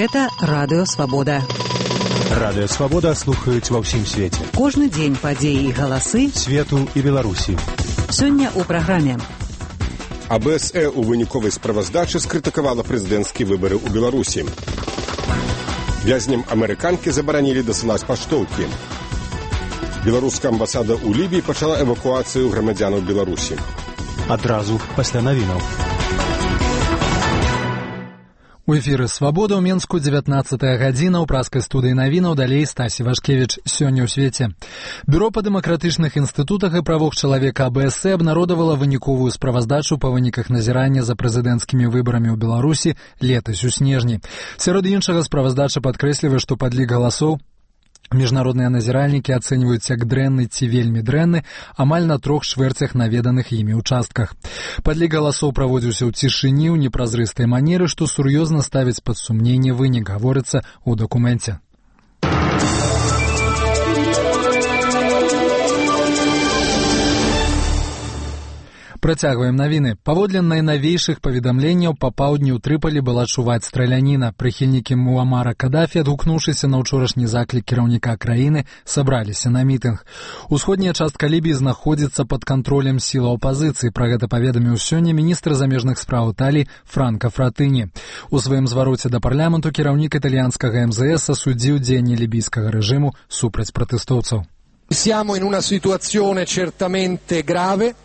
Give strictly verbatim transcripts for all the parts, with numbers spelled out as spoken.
Гэта Радыё Свабода. Радыё Свабода слухаюць ва ўсім свеце. Кожны дзень падзеі і галасы свету і Беларусі. Сёння ў праграме. А Бэ Эс Э ў выніковай справаздачы скрытыкавала прэзідэнцкія выбары ў Беларусі. Вязням амерыканкі забаранілі дасылаць паштоўкі. Беларуская амбасада ў Лібіі пачала эвакуацыю грамадзянаў Беларусі. Адразу пасля навінаў. У эфіры «Свабода» ў Менску, дзевятнаццатая гадзіна, ў праскай студыі навінаў, далей Стасі Вашкевіч. Сёння ў свеце. Бюро па дэмакратычных інстытутах і правах чалавека А Бэ Эс Э абнародавала выніковую справаздачу па выніках назірання за прэзідэнцкімі выбарамі ў Беларусі летась у снежні. Сярод іншага справаздача падкрэслівае, што падлік галасоў міжнародныя назіральнікі ацэньваюць як дрэнны ці вельмі дрэнны амаль на трох чвэрцях наведаных імі участках. Падлік галасоў праводзіўся ў цішыні, ў непразрыстай манеры, што сур'ёзна ставіць пад сумненне вынік, гаворыцца ў дакуменце. Працягваем навіны. Паводле найнавейшых паведамленняў, па паўдні ў Трыполі была чуваць страляніна. Прыхільнікі Муамара Кадафі, адгукнуўшыся на ўчорашні заклік кіраўніка краіны, сабраліся на мітынг. Усходняя частка Лібіі знаходзіцца пад кантролем сілаў апазіцыі. Пра гэта паведаміў сёння міністр замежных спраў Італіі Франка Фратыні. У сваім звароце да парламенту кіраўнік італьянскага Эм Зэ Эс асудзіў дзеянні лібійскага рэжыму супраць пратэстоўцаў. Siamo in una situazione certamente grave.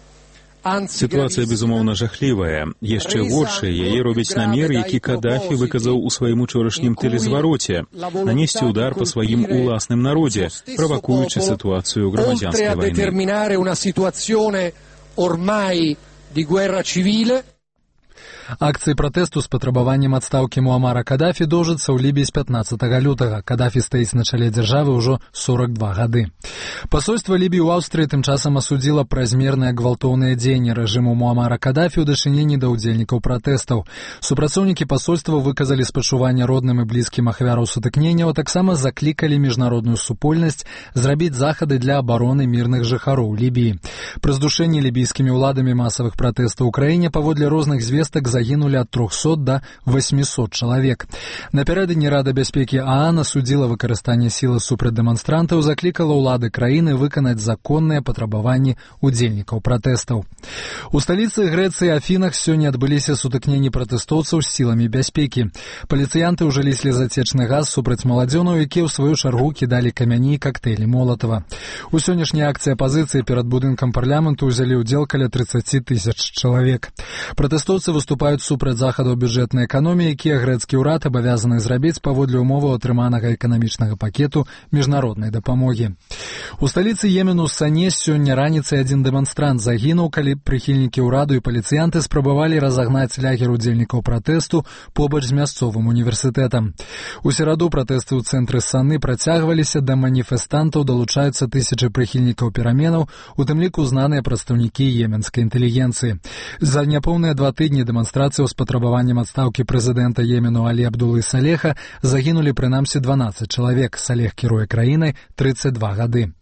Сітуацыя, безумоўна, жахлівая. Яшчэ горшая яе робіць намер, які Кадафі выказаў у сваім учорашнім тэлезвароце — нанесці удар па сваім уласным народзе, правакуючы сітуацыю грамадзянскай вайны. Акцыі пратэсту з патрабаваннем адстаўкі Муамара Кадафі доўжыцца ў Лібіі з пятнаццатага лютага. Кадафі стаіць на чале дзяржавы ўжо сорак два гады. Пасольства Лібіі ў Аўстрыі тым часам асудзіла празмерныя гвалтоўныя дзеянні рэжыму Муамара Кадафі ў дачыненні да ўдзельнікаў пратэстаў. Супрацоўнікі пасольства выказалі спачуванне родным і блізкім ахвяраў сутыкненняў, а таксама заклікалі міжнародную супольнасць зрабіць захады для абароны мірных жыхароў Лібіі. Пры здушэнні лібійскімі ўладамі масавых пратэстаў у краіне паводле розных звестак загінулі ад трохсот да васьмісот чалавек. Напярэдадні Рада бяспекі А А Н асудзіла выкарыстанне сілы супраць дэманстрантаў, заклікала ўлады краіны выканаць законныя патрабаванні удзельнікаў пратэстаў. У сталіцы Грэцыі Афінах сёння адбыліся сутыкненні пратэстоўцаў з сіламі бяспекі. Паліцыянты ўжылі слезацечны газ супраць маладзёнаў, якія ў сваю чаргу кідалі камяні і кактэйлі Молатава. У сённяшняй акцыі апазіцыі перад будынкам парламенту ўзялі ўдзел каля трыццаць тысяч чалавек. Пратэстоўцы выступаюць супраць захадаў бюджэтнай эканоміі, якія грэцкі ўрад абавязаны зрабіць паводле ўмоваў атрыманага эканамічнага пакету міжнароднай дапамогі. У сталіцы Йемену Сане сёння раніцай адзін дэманстрант загінуў, калі прыхільнікі ўраду і паліцыянты спрабавалі разагнаць лягер удзельнікаў пратэсту побач з мясцовым універсітэтам. У сераду пратэсты ў цэнтры Саны працягваліся, да маніфестантаў далучаюцца тысячы прыхільнікаў пераменаў, у тым ліку знаныя прадстаўнікі йеменскай інтэлігенцыі. За няпоўныя два тыдні дэманстрацыяў з патрабаваннем адстаўкі прэзідэнта Йемену Алі Абдулы Салеха загінулі прынамсі дванаццаць чалавек. Салех кіруе краінай трыццаць два гады.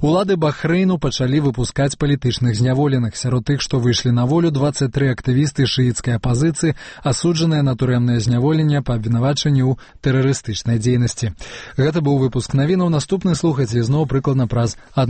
Улады Бахрэйну пачалі выпускаць палітычных зняволеных. Сярод тых, што выйшлі на волю, дваццаць тры актывісты шыіцкай апазіцыі, асуджаныя на турэмнае зняволенне па абвінавачанні ў тэрарыстычнай дзейнасці. Гэта быў выпуск навінаў. Наступны слухайце зноў прыкладна праз адну